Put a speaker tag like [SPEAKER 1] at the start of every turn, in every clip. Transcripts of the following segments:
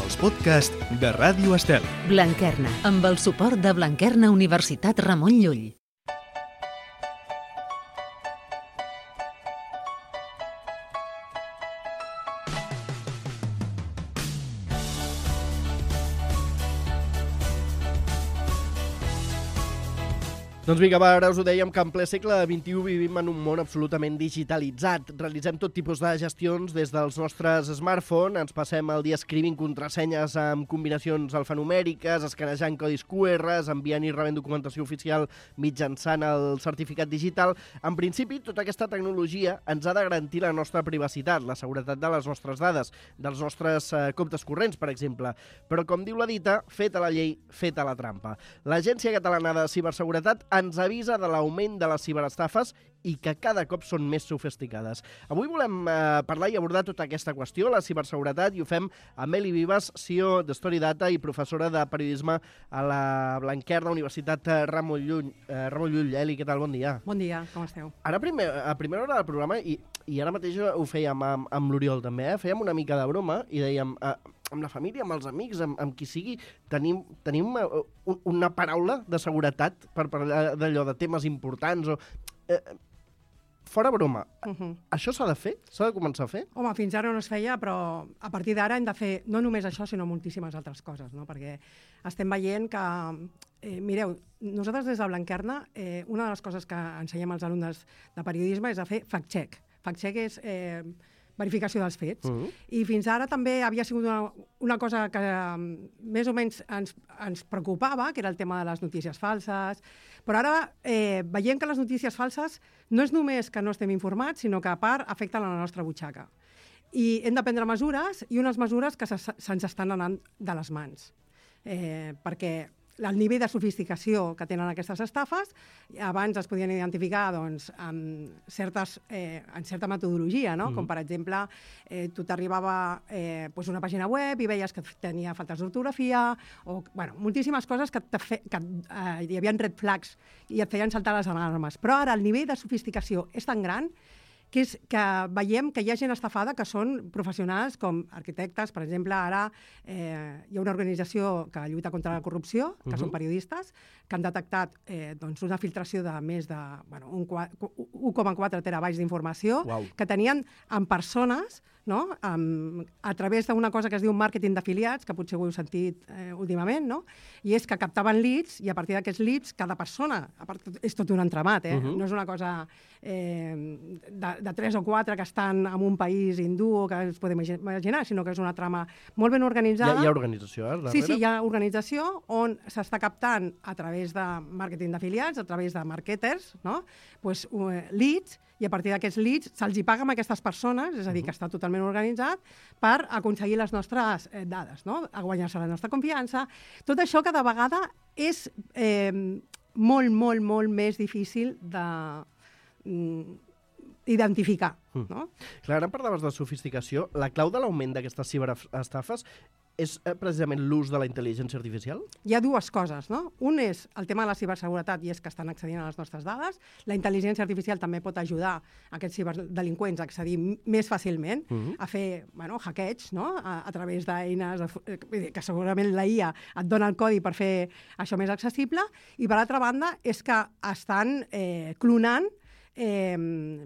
[SPEAKER 1] els podcasts de Ràdio Estel.
[SPEAKER 2] Blanquerna, amb el suport de Blanquerna Universitat Ramon Llull.
[SPEAKER 3] Doncs vinga, va, ara us ho dèiem que en ple segle XXI vivim en un món absolutament digitalitzat. Realitzem tot tipus de gestions des dels nostres smartphones, ens passem el dia escrivint contrasenyes amb combinacions alfanumèriques, escanejant codis QR, enviant i rebent documentació oficial mitjançant el certificat digital. En principi, tota aquesta tecnologia ens ha de garantir la nostra privacitat, la seguretat de les nostres dades, dels nostres comptes corrents, per exemple. Però, com diu la dita, feta la llei, feta la trampa. L'Agència Catalana de Ciberseguretat ens avisa de l'augment de les ciberestafes i que cada cop són més sofisticades. Avui volem parlar i abordar tota aquesta qüestió, la ciberseguretat, i ho fem amb Eli Vives, CEO de Storydata i professora de periodisme a la Blanquerna Universitat Ramon Llull. Eli, què tal? Bon dia.
[SPEAKER 4] Bon dia, com esteu?
[SPEAKER 3] Ara, a primera hora del programa, i ara mateix ho fèiem amb l'Oriol també, fèiem una mica de broma i dèiem... amb la família, amb els amics, amb qui sigui, tenim una paraula de seguretat per parlar d'allò, de temes importants o... Fora broma, això s'ha de fer? S'ha de començar a fer?
[SPEAKER 4] Home, fins ara no es feia, però a partir d'ara hem de fer no només això, sinó moltíssimes altres coses, no? Perquè estem veient que... mireu, nosaltres des de Blanquerna, una de les coses que ensenyem als alumnes de periodisme és a fer fact-check. Fact-check és... verificació dels fets. I fins ara també havia sigut una cosa que més o menys ens preocupava, que era el tema de les notícies falses, però ara veiem que les notícies falses no és només que no estem informats, sinó que a part afecten la nostra butxaca. I hem de prendre mesures, i unes mesures que se'ns estan anant de les mans. Perquè el nivell de sofisticació que tenen aquestes estafes, abans es podien identificar doncs, en certa metodologia, no? Com per exemple, tu t'arribava una pàgina web i veies que tenia faltes d'ortografia, o moltíssimes coses que hi havia red flags i et feien saltar les alarmes. Però ara el nivell de sofisticació és tan gran que veiem que hi ha gent estafada que són professionals com arquitectes. Per exemple, ara hi ha una organització que lluita contra la corrupció, que són periodistes, que han detectat una filtració de més de 1,4 terabytes d'informació que tenien en persones, no? A través d'una cosa que es diu màrqueting d'afiliats, que potser ho heu sentit últimament, no? I és que captaven leads, i a partir d'aquests leads, cada persona, a part, és tot un entramat, no és una cosa de 3 o 4 que estan en un país hindú que es podem imaginar, sinó que és una trama molt ben organitzada.
[SPEAKER 3] Hi ha organització, darrere?
[SPEAKER 4] Sí, hi ha organització on s'està captant a través de màrqueting d'afiliats, a través de marketers, no? Leads, i a partir d'aquests leads se'ls hi paga a aquestes persones, és a dir, que està totalment organitzat, per aconseguir les nostres dades, no? A guanyar-se la nostra confiança. Tot això cada vegada és molt, molt, molt més difícil d'identificar. No?
[SPEAKER 3] Clar, ara parlaves de sofisticació. La clau de l'augment d'aquestes ciberestafes és precisament l'ús de la intel·ligència artificial?
[SPEAKER 4] Hi ha dues coses, no? Un és el tema de la ciberseguretat, i és que estan accedint a les nostres dades. La intel·ligència artificial també pot ajudar aquests ciberdelinqüents a accedir més fàcilment, a fer hackeig, no? A través d'eines que segurament la IA et dona el codi per fer això més accessible. I per altra banda és que estan clonant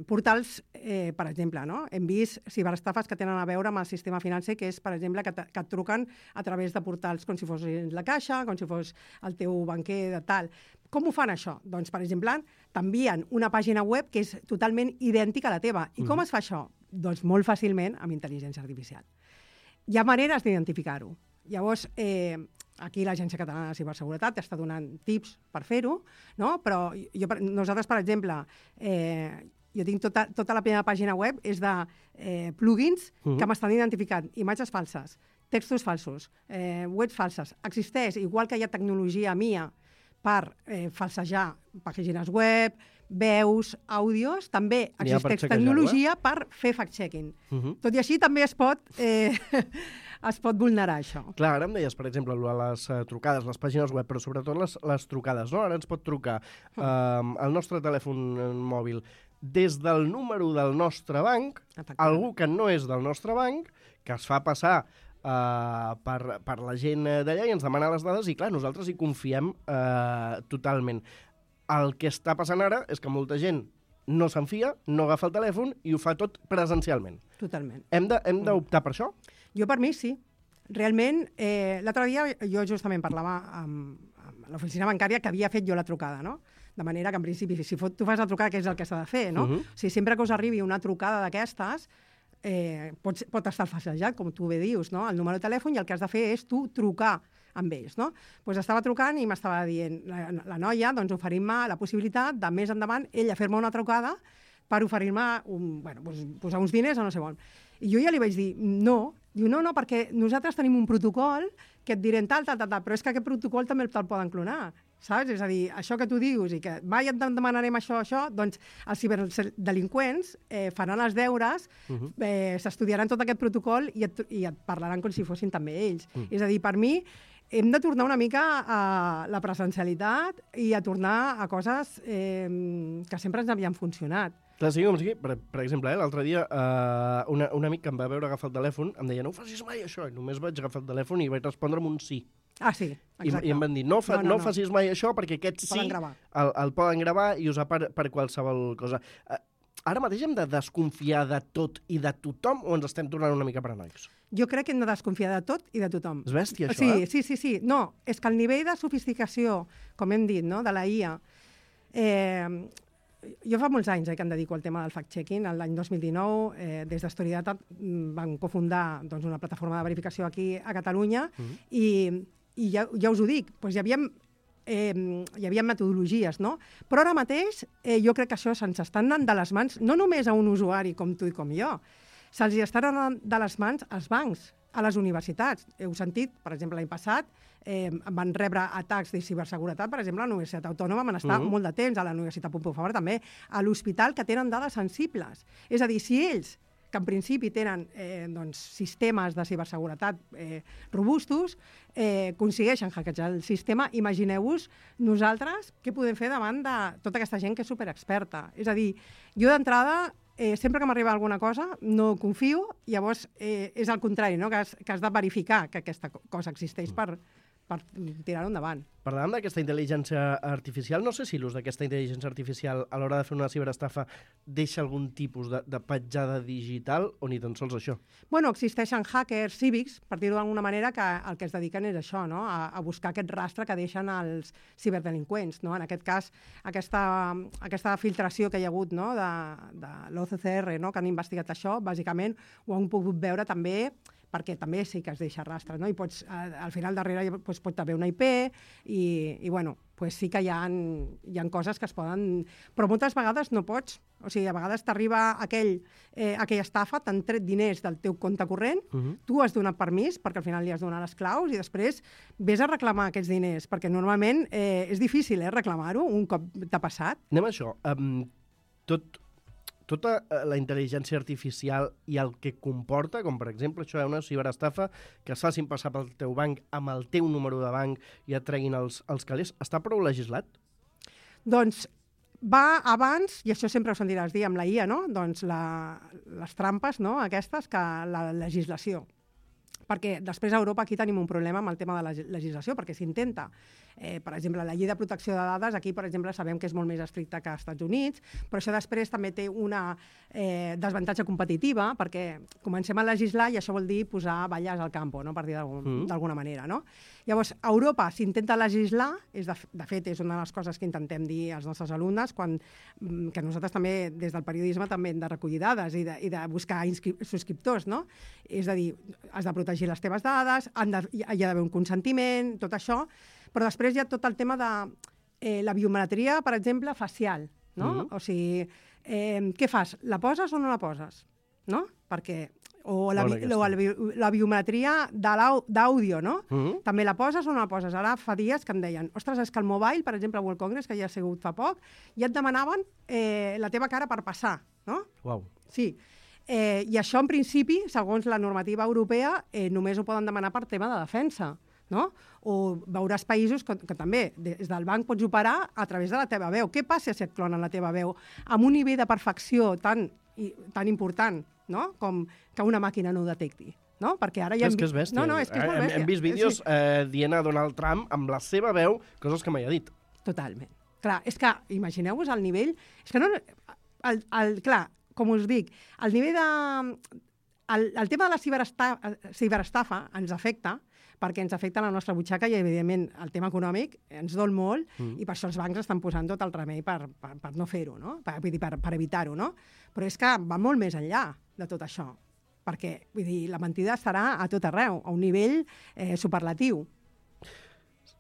[SPEAKER 4] portals, per exemple, no? Hem vist ciberestafes que tenen a veure amb el sistema financer, que és, per exemple, que et truquen a través de portals com si fos la Caixa, com si fos el teu banquer de tal. Com ho fan això? Doncs, per exemple, t'envien una pàgina web que és totalment idèntica a la teva. I com es fa això? Doncs molt fàcilment amb intel·ligència artificial. Hi ha maneres d'identificar-ho. Llavors, aquí l'Agència Catalana de Ciberseguretat està donant tips per fer-ho, no? Però nosaltres, per exemple, jo tinc tota la primera pàgina web és de plugins que m'estan identificant imatges falses, textos falsos, webs falses. Existeix, igual que hi ha tecnologia mia per falsejar pàgines web, veus, àudios, també existeix tecnologia per fer fact-checking. Tot i així també es pot vulnerar això.
[SPEAKER 3] Clar, ara em deies, per exemple, les trucades, les pàgines web, però sobretot les trucades, no? Ara ens pot trucar al nostre telèfon mòbil des del número del nostre banc, algú que no és del nostre banc, que es fa passar per la gent d'allà i ens demana les dades i, clar, nosaltres hi confiem totalment. El que està passant ara és que molta gent no se'n fia, no agafa el telèfon i ho fa tot presencialment.
[SPEAKER 4] Totalment.
[SPEAKER 3] Hem d'optar per això?
[SPEAKER 4] Jo per mi sí. Realment, l'altre dia jo justament parlava amb l'oficina bancària que havia fet jo la trucada, no? De manera que, en principi, si tu fas la trucada, què és el que s'ha de fer, no? O sigui, sempre que us arribi una trucada d'aquestes, pot estar falsejat, com tu bé dius, no? El número de telèfon, i el que has de fer és tu trucar amb ells, no? Doncs estava trucant i m'estava dient la noia, doncs oferint-me la possibilitat de més endavant ella fer-me una trucada per oferir-me posar uns diners o no sé on. I jo ja li vaig dir, no. Diu, no, perquè nosaltres tenim un protocol que et direm tal, però és que aquest protocol també te'l poden clonar, saps? És a dir, això que tu dius i que mai et demanarem això, doncs els ciberdelinqüents faran els deures, s'estudiaran tot aquest protocol i et parlaran com si fossin també ells. És a dir, per mi, hem de tornar una mica a la presencialitat i a tornar a coses que sempre ens havien funcionat.
[SPEAKER 3] Clar, sí, com sigui, per exemple, l'altre dia un amic que em va veure agafar el telèfon em deia, no ho facis mai això, i només vaig agafar el telèfon i vaig respondre amb un sí.
[SPEAKER 4] Ah, sí, exacte.
[SPEAKER 3] I em van dir, no facis mai això perquè aquest sí el poden gravar i usar per qualsevol cosa. Ara mateix hem de desconfiar de tot i de tothom o ens estem tornant una mica paranoics?
[SPEAKER 4] Jo crec que hem de desconfiar de tot i de tothom.
[SPEAKER 3] És bèstia, això,
[SPEAKER 4] Sí. No, és que el nivell de sofisticació, com hem dit, no, de la IA... Jo fa molts anys que em dedico al tema del fact-checking. L'any 2019, des d'Storydata, van cofundar una plataforma de verificació aquí a Catalunya i ja us ho dic, doncs hi havia metodologies, no? Però ara mateix jo crec que això se'ns està anant de les mans, no només a un usuari com tu i com jo, se'ls estan anant de les mans als bancs, a les universitats. Heu sentit, per exemple, l'any passat, van rebre atacs de ciberseguretat, per exemple, a la Universitat Autònoma van estar molt de temps, a la Universitat Pompeu Fabra també, a l'hospital, que tenen dades sensibles. És a dir, si ells, que en principi tenen sistemes de ciberseguretat robustos, aconsegueixen hackejar el sistema, imagineu-vos nosaltres què podem fer davant de tota aquesta gent que és superexperta. És a dir, jo d'entrada, sempre que m'arriba alguna cosa, no confio, llavors és al contrari, no? Que has de verificar que aquesta cosa existeix per tirar-ho endavant.
[SPEAKER 3] Parlàvem d'aquesta intel·ligència artificial. No sé si l'ús d'aquesta intel·ligència artificial a l'hora de fer una ciberestafa deixa algun tipus de petjada digital o ni tan sols això?
[SPEAKER 4] Bueno, existeixen hackers cívics, per dir-ho d'alguna manera, que el que es dediquen és això, no? A buscar aquest rastre que deixen els ciberdelinqüents, no? En aquest cas, aquesta filtració que hi ha hagut, no? de l'OCCR, no? Que han investigat això, bàsicament ho han pogut veure també perquè també sí que es deixa rastre, no? I al final darrere pot haver una IP i bueno, sí que hi ha coses que es poden... Però moltes vegades no pots. O sigui, a vegades t'arriba aquella estafa, t'han tret diners del teu compte corrent, tu has donat permís, perquè al final li has donat les claus, i després vés a reclamar aquests diners, perquè normalment és difícil reclamar-ho un cop t'ha passat.
[SPEAKER 3] Anem a això. Tota la intel·ligència artificial i el que comporta, com per exemple això una ciberestafa, que es facin passar pel teu banc amb el teu número de banc i et treguin els calés, està prou legislat?
[SPEAKER 4] Doncs va abans, i això sempre ho sentiràs dir amb la IA, no? Doncs les trampes, no? Aquestes, que la legislació. Perquè després a Europa aquí tenim un problema amb el tema de la legislació, perquè s'intenta. Per exemple, la llei de protecció de dades, aquí, per exemple, sabem que és molt més estricta que als Estats Units, però això després també té una desavantatge competitiva, perquè comencem a legislar i això vol dir posar balles al campo, no? Per dir d'alguna manera, no? Llavors, a Europa s'intenta legislar, de fet, és una de les coses que intentem dir als nostres alumnes, que nosaltres també, des del periodisme, també hem de recollir dades i de buscar subscriptors, no? És a dir, has de protegir les teves dades, hi ha d'haver un consentiment, tot això, però després hi ha tot el tema de la biometria, per exemple, facial, no? O sigui, què fas? La poses o no la poses? No? Perquè... O la biometria d'àudio, no? També la poses o no la poses? Ara fa dies que em deien, ostres, és que el Mobile, per exemple, World Congress, que ja ha sigut fa poc, ja et demanaven la teva cara per passar, no?
[SPEAKER 3] Uau.
[SPEAKER 4] Sí. I això, en principi, segons la normativa europea, només ho poden demanar per tema de defensa, no? O veuràs països que també des del banc pots operar a través de la teva veu. Què passa si et clonen la teva veu amb un nivell de perfecció tan important, no? Com que una màquina no ho detecti? no? Perquè ara ja
[SPEAKER 3] És que és bèstia.
[SPEAKER 4] No, és que és molt bèstia.
[SPEAKER 3] Hem vist vídeos dient a Donald Trump amb la seva veu coses que mai ha dit.
[SPEAKER 4] Totalment. Clar, és que imagineu-vos el nivell... És que no... Clar, com us dic, el nivell de... El tema de la ciberestafa ens afecta, perquè ens afecta la nostra butxaca i, evidentment, el tema econòmic ens dol molt i per això els bancs estan posant tot el remei per no fer-ho, no? Per evitar-ho, no? Però és que va molt més enllà de tot això, perquè, vull dir, la mentida estarà a tot arreu, a un nivell superlatiu.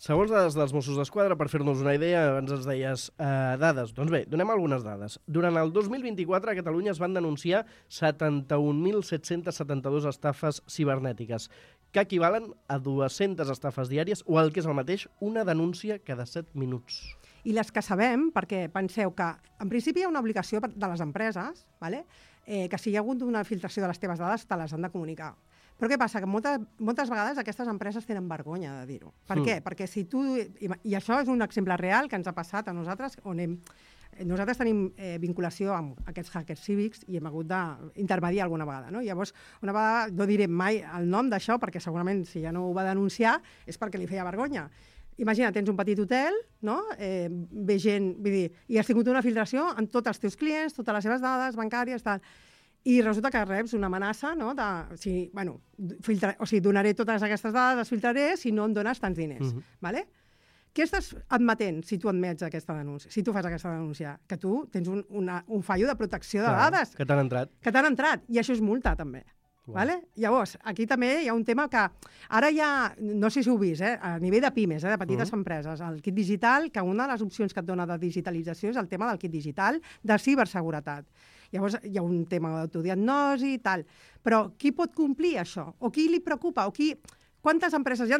[SPEAKER 3] Segons dades dels Mossos d'Esquadra, per fer-nos una idea, abans ens deies dades. Doncs bé, donem algunes dades. Durant el 2024 a Catalunya es van denunciar 71.772 estafes cibernètiques, que equivalen a 200 estafes diàries o el que és el mateix, una denúncia cada 7 minuts.
[SPEAKER 4] I les que sabem, perquè penseu que en principi hi ha una obligació de les empreses, que si hi ha hagut una filtració de les teves dades te les han de comunicar. Però què passa? Que moltes vegades aquestes empreses tenen vergonya de dir-ho. Per què? Perquè si tu... I això és un exemple real que ens ha passat a nosaltres, on nosaltres tenim vinculació amb aquests hackers cívics i hem hagut d'intermediar alguna vegada. No? Llavors, una vegada, no diré mai el nom d'això, perquè segurament si ja no ho va denunciar és perquè li feia vergonya. Imagina, tens un petit hotel, no? Ve gent, vull dir, i has tingut una filtració en tots els teus clients, totes les seves dades bancàries, tal. I resulta que reps una amenaça, no? Donaré totes aquestes dades, les filtraré, si no em dones tants diners. Vale? Què estàs admetent si tu admets aquesta denúncia? Si tu fas aquesta denúncia? Que tu tens un fallo de protecció de dades.
[SPEAKER 3] Que t'han entrat.
[SPEAKER 4] Que t'han entrat. I això és multa, també. Vale? Llavors, aquí també hi ha un tema que ara ja, no sé si ho heu vist, a nivell de pimes, de petites empreses, el kit digital, que una de les opcions que et dona de digitalització és el tema del kit digital de ciberseguretat. Llavors hi ha un tema d'autodiagnosi i tal. Però qui pot complir això? O qui li preocupa? Quantes empreses hi ha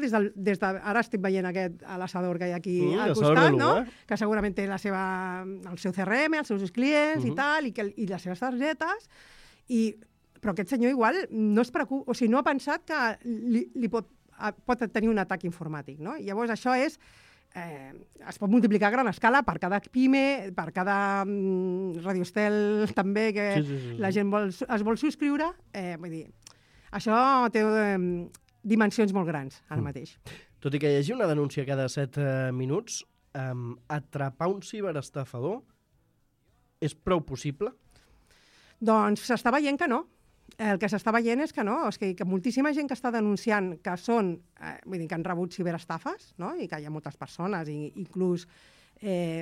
[SPEAKER 4] ara estic veient aquest l'assador que hi ha aquí al costat, no? Que segurament té el seu CRM, els seus clients i tal, i les seves targetes, però aquest senyor igual no es preocupa, o sigui, no ha pensat que pot tenir un atac informàtic, no? Llavors això es pot multiplicar a gran escala per cada pime, per cada radiostel també, que la gent es vol subscriure. Vull dir, això té dimensions molt grans ara mateix.
[SPEAKER 3] Tot i que hi hagi una denúncia cada 7 minuts, atrapar un ciberestafador és prou possible?
[SPEAKER 4] Doncs s'està veient que no. El que s'està veient és que no, és que moltíssima gent que està denunciant que vull dir, que han rebut ciberestafes, no? I que hi ha moltes persones, inclús,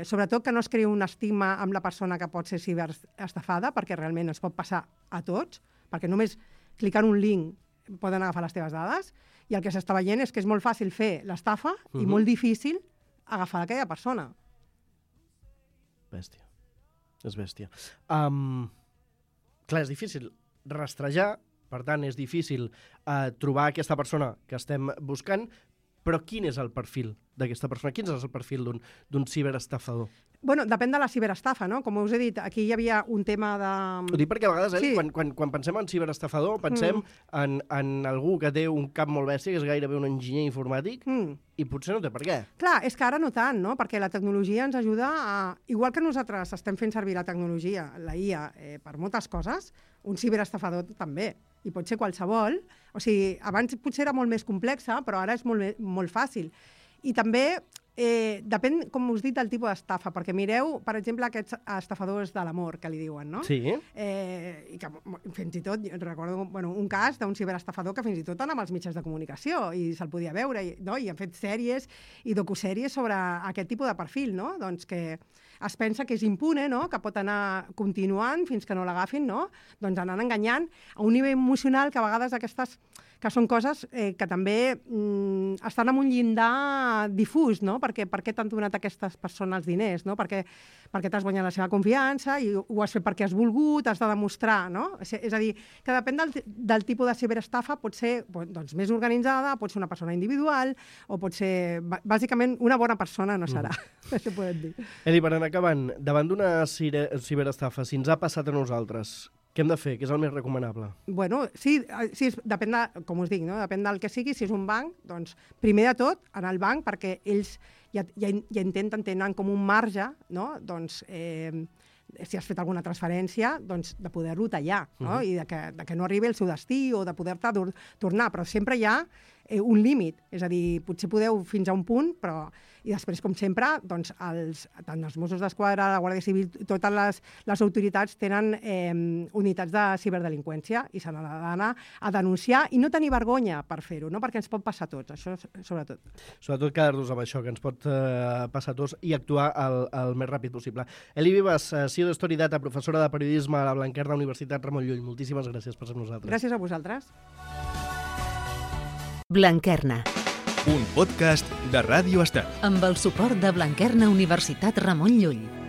[SPEAKER 4] sobretot que no es crea un estigma amb la persona que pot ser ciberestafada, perquè realment es pot passar a tots, perquè només clicant un link poden agafar les teves dades, i el que s'està veient és que és molt fàcil fer l'estafa i molt difícil agafar aquella persona.
[SPEAKER 3] Bèstia. És bèstia. Clar, és difícil rastrejar, per tant, és difícil trobar aquesta persona que estem buscant, però quin és el perfil d'aquesta persona? Quin és el perfil d'un ciberestafador?
[SPEAKER 4] Bueno, depèn de la ciberestafa, no? Com us he dit, aquí hi havia un tema de...
[SPEAKER 3] Ho dic perquè a vegades, quan pensem en ciberestafador, pensem en algú que té un cap molt bèstia, que és gairebé un enginyer informàtic, i potser no té per què.
[SPEAKER 4] Clar, és que ara no tant, no? Perquè la tecnologia ens ajuda a... Igual que nosaltres estem fent servir la tecnologia, la IA, per moltes coses, un ciberestafador també. I pot ser qualsevol. O sigui, abans potser era molt més complexa, però ara és molt fàcil. I també depèn, com us dic, del tipus d'estafa, perquè mireu, per exemple, aquests estafadors de l'amor, que li diuen, no?
[SPEAKER 3] Sí.
[SPEAKER 4] I que fins i tot, recordo un cas d'un ciberestafador que fins i tot anava als mitjans de comunicació i se'l podia veure, no? I han fet sèries i docusèries sobre aquest tipus de perfil, no? Doncs que es pensa que és impune, no? Que pot anar continuant fins que no l'agafin, no? Doncs anant enganyant a un nivell emocional que a vegades aquestes que són coses que també estan en un llindar difús, no? Per què t'han donat aquestes persones els diners, no? Perquè t'has guanyat la seva confiança i ho has fet perquè has volgut, has de demostrar, no? És a dir, que depèn del tipus de ciberestafa, pot ser doncs, més organitzada, pot ser una persona individual, o pot ser, bàsicament, una bona persona no serà, això podem dir.
[SPEAKER 3] Eli, per anar acabant, davant d'una ciberestafa, si ens ha passat a nosaltres, què hem de fer? Què és el més recomanable?
[SPEAKER 4] Bueno, sí, depèn de, com us dic, no? Depèn del que sigui. Si és un banc, doncs, primer de tot, anar al banc, perquè ells ja tenen com un marge, no? Doncs, si has fet alguna transferència, doncs de poder-lo tallar, no? I de que no arribi al seu destí o de poder-te tornar, però sempre hi ha un límit, és a dir, potser podeu fins a un punt, però i després, com sempre, doncs, tant els Mossos d'Esquadra, la Guàrdia Civil, totes les autoritats tenen unitats de ciberdelinqüència i s'han d'anar a denunciar i no tenir vergonya per fer-ho, no? Perquè ens pot passar a tots, això sobretot.
[SPEAKER 3] Sobretot quedar-nos amb això, que ens pot passar a tots i actuar el més ràpid possible. Eli Vives, CEO de Story Data, professora de periodisme a la Blanquerna Universitat Ramon Llull, moltíssimes gràcies per ser amb nosaltres.
[SPEAKER 4] Gràcies a vosaltres.
[SPEAKER 2] Blanquerna,
[SPEAKER 1] Un podcast de Ràdio Estel.
[SPEAKER 2] amb el suport de Blanquerna Universitat Ramon Llull.